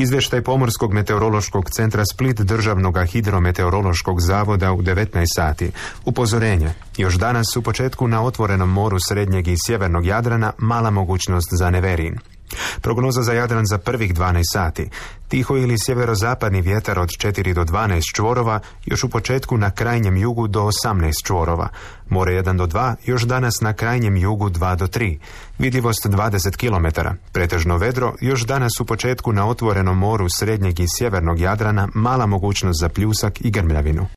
Izvještaj Pomorskog meteorološkog centra Split Državnog hidrometeorološkog zavoda u 19 sati. Upozorenje. Još danas u početku na otvorenom moru srednjeg i sjevernog Jadrana mala mogućnost za neverin. Prognoza za Jadran za prvih 12 sati. Tiho ili sjeverozapadni vjetar od 4 do 12 čvorova, još u početku na krajnjem jugu do 18 čvorova. More 1 do 2, još danas na krajnjem jugu 2 do 3. Vidljivost 20 km. Pretežno vedro, još danas u početku na otvorenom moru srednjeg i sjevernog Jadrana mala mogućnost za pljusak i grmljavinu.